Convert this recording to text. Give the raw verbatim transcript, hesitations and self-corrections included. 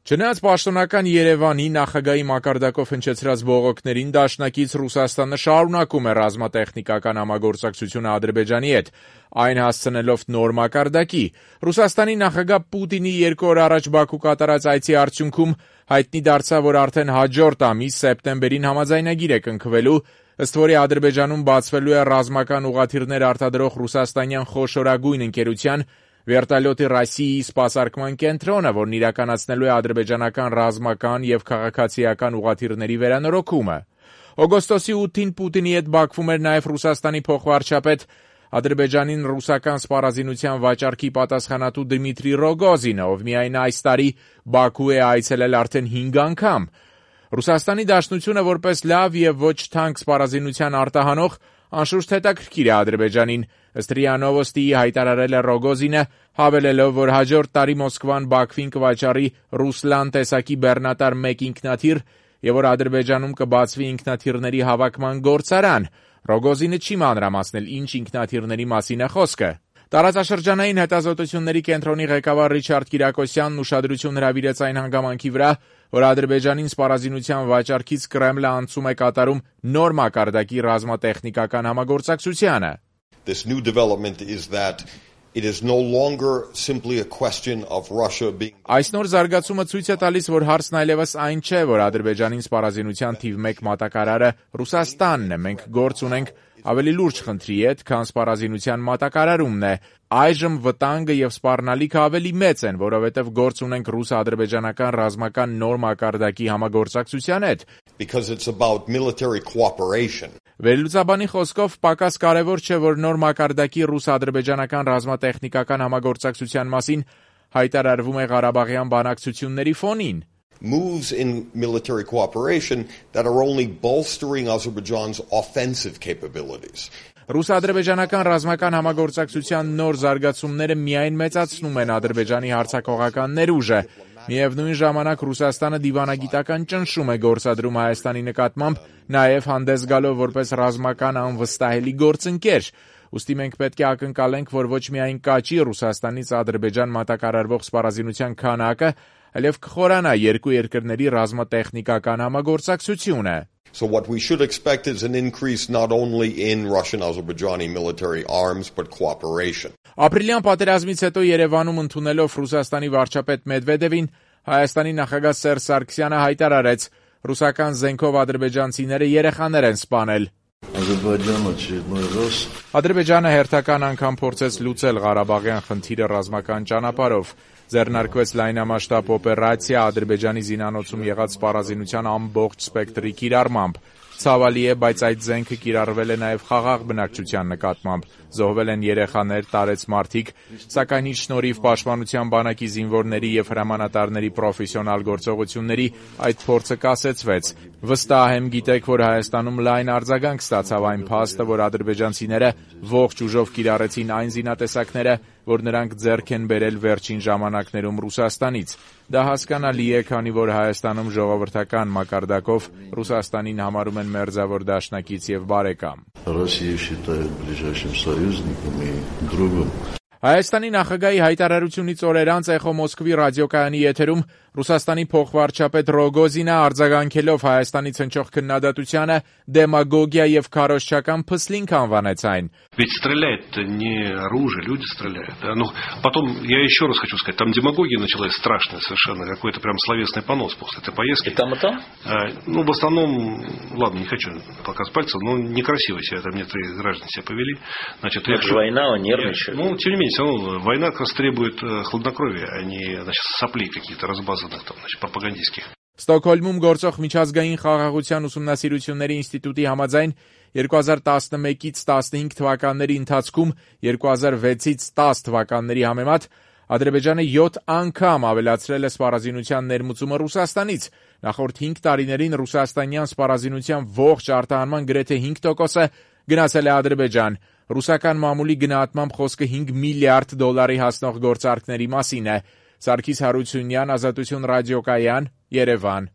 Չնայած պաշտոնական Երևանի նախագահի մակարդակով հնչեցրած բողոքներին, դաշնակից Ռուսաստանը շարունակում է ռազմատեխնիկական համագործակցությունը Ադրբեջանի հետ, այն հասցնելով նոր մակարդակի։ Ռուսաստանի նախագահ Պուտինի երկու օր առաջ Բաքու կատարած այցի արդյունքում հայտնի դարձավ, որ արդեն հաջորդ ամիս սեպտեմբերին համաձայնագիր է կնքվելու, ըստ որի Ադրբեջանում բացվելու է ռազմական ուղղաթիռներ արտադրող ռուսաստանյան խոշորագույն ընկերության Վերտալյոտի Ռոսիայի սպասարկման կենտրոնը, որն իրականացնելու է ադրբեջանական ռազմական և քաղաքացիական ուղղաթիռների վերանորոգումը։ Օգոստոսի ութին Պուտինի հետ Բաքվում էր նաև Ռուսաստանի փոխվարչապետ, Ադրբեջանին ռուսական սպառազինության վաճառքի պատասխանատու Դմիտրի Ռոգոզինը, ով միայն այս տարի Բաքու է այցելել արդեն հինգ անգամ։ Ռուսաստանի Դաշնությունը որպես լավ և ոչ թանկ սպառազինության արտահանող անշուշտ հետաքրքիր է Ադրբեջանին, ըստ ՌԻԱ Նովոստիի հայտարարել է Ռոգոզինը, հավելելով, որ հաջորդ տարի Մոսկվան Բաքվին կվաճառի Ռուսլան տեսակի բեռնատար մեկ ինքնաթիռ և որ Ադրբեջանում կբացվի ինքնաթիռների հավաքման գործարան։ Ռոգոզինը չի մանրամասնել ինչ ինքնաթիռների մասին է խոսքը։ Տարածաշրջանային հետազոտությունների կենտրոնի ղեկավար Ռիչարդ Կիրակոսյանն ուշադրություն հրավիրեց այն հանգամանքի վրա, որ Ադրբեջանին սպառազինության վաճառքից Կրեմլը անցում է կատարում նոր մակարդակի ռազմատեխնիկական համագործակցությանը։ This new development is that it is no longer simply a question of Russia being Այս նոր զարգացումը ցույց է տալիս, որ հարցն այլևս այն չէ, որ Ադրբեջանին սպառազինության թիվ մեկ մատակարարը Ռուսաստանն է, մենք գործ ունենք ավելի լուրջ խնդրի հետ, քան սպառազինության մատակարարումն է։ Այժմ վտանգը եւ սպառնալիքը ավելի մեծ են, որովհետեւ գործ ունենք ռուս-ադրբեջանական ռազմական նոր մակարդակի համագործակցության հետ։ Because it's about military cooperation. Վերլուծաբանի խոսքով պակաս կարևոր չէ, որ նոր մակարդակի ռուս-ադրբեջանական ռազմատեխնիկական համագործակցության մասին հայտարարվում է Ղարաբաղյան բանակցությունների ֆոնին։ Moves in military cooperation that are only bolstering Azerbaijan's offensive capabilities. Ռուս-ադրբեջանական ռազմական համագործակցության նոր զարգացումները միայն մեծացնում են Ադրբեջանի հարձակողական ներուժը։ Միևնույն ժամանակ Ռուսաստանը դիվանագիտական ճնշում է գործադրում Հայաստանի նկատմամբ, նաև հանդես գալով որպես ռազմական անվստահելի գործընկեր։ Ուստի մենք պետք է ակնկալենք, որ ոչ միայն կաճի Ռուսաստանից Ադրբեջան մատակարարվող սպառազինության քանակը, այլև կխորանա երկու երկրների ռազմատեխնիկական համագործակցությունը։ So what we should expect is an increase not only in Russian-Azerbaijani military arms, but cooperation. Ապրիլյան պատերազմից հետո Երևանում ընդունելով Ռուսաստանի վարչապետ Մեդվեդևին, Հայաստանի նախագահ Սերժ Սարգսյանը հայտարարեց, ռուսական զենքով ադրբեջանցիները երեխաներ են սպանել։ Ադրբեջանը հերթական անգամ փորձեց լուծել Ղարաբաղյան խնդիրը ռազմական ճանապարհով։ Ձեռնարկվեց լայնամասշտաբ օպերացիա Ադրբեջանի զինանոցում եղած սպառազինության ամբողջ սպեկտրի կիրառմամբ։ Ցավալի է, բայց այդ զենքը կիրառվել է նաև խաղաղ բնակչության նկատմամբ։ Զոհվել են երեխաներ, տարեց մարդիկ, սակայն իր շնորհիվ Պաշտպանության բանակի զինվորների և հրամանատարների պրոֆեսիոնալ գործողությունների այդ փորձը կասեցվեց։ Վստահ եմ, գիտեք, որ Հայաստանում լայն արձագանք ստացավ այն փաստը, որ ադրբեջանցիները ողջ ուժով կիրառեցին այն զինատեսակները, որ նրանք ձեռք են բերել վերջին ժամանակներում Ռուսաստանից։ Դա հասկանալի է, քանի որ Հայաստանում ժողովրդական մակարդակով Ռուսաստանին համարում են մերձավոր դաշնակից և բարեկամ։ Հայաստանի նախագահի հայտարարությունից օրեր անց Էխո Մոսկվի ռադիոկայանի եթերում Ռուսաստանի փոխվարչապետ Ռոգոզինը արձագանքելով Հայաստանից հնչող քննադատությանը դեմագոգիա և քարոզչական փսլինք անվանեց այն։ Ведь стреляет не оружие, люди стреляют. Ну, потом, я еще раз хочу сказать, там демагогия началась страшная совершенно, какой-то прям словесный понос после этой поездки. И там, и там? А, ну, в основном, ладно, не хочу показывать пальцем, но некрасиво себя там некоторые граждане себя повели. Значит, это же война, он нервничает. Ну, тем не менее, все равно война как раз требует хладнокровия, а не, значит, соплей каких-то разбазанных там, значит, пропагандистских. Ստոկհոլմում գործող միջազգային խաղաղության ուսումնասիրությունների ինստիտուտի համաձայն երկու հազար տասնմեկից տասնհինգ թվականների ընթացքում երկու հազար վեցից տաս թվականների համեմատ Ադրբեջանը յոթ անգամ ավելացրել է սպառազինության ներմուծումը Ռուսաստանից։ Նախորդ հինգ տարիներին ռուսաստանյան սպառազինության ողջ արտահանման գրեթե հինգ տոկոսը գնացել է Ադրբեջան։ Ռուսական մամուլի գնահատմամբ խոսքը հինգ միլիարդ դոլարի հասնող գործարքների մասին է։ Սարգիս Հարությունյան, Ազատություն ռադիոկայան, Երևան։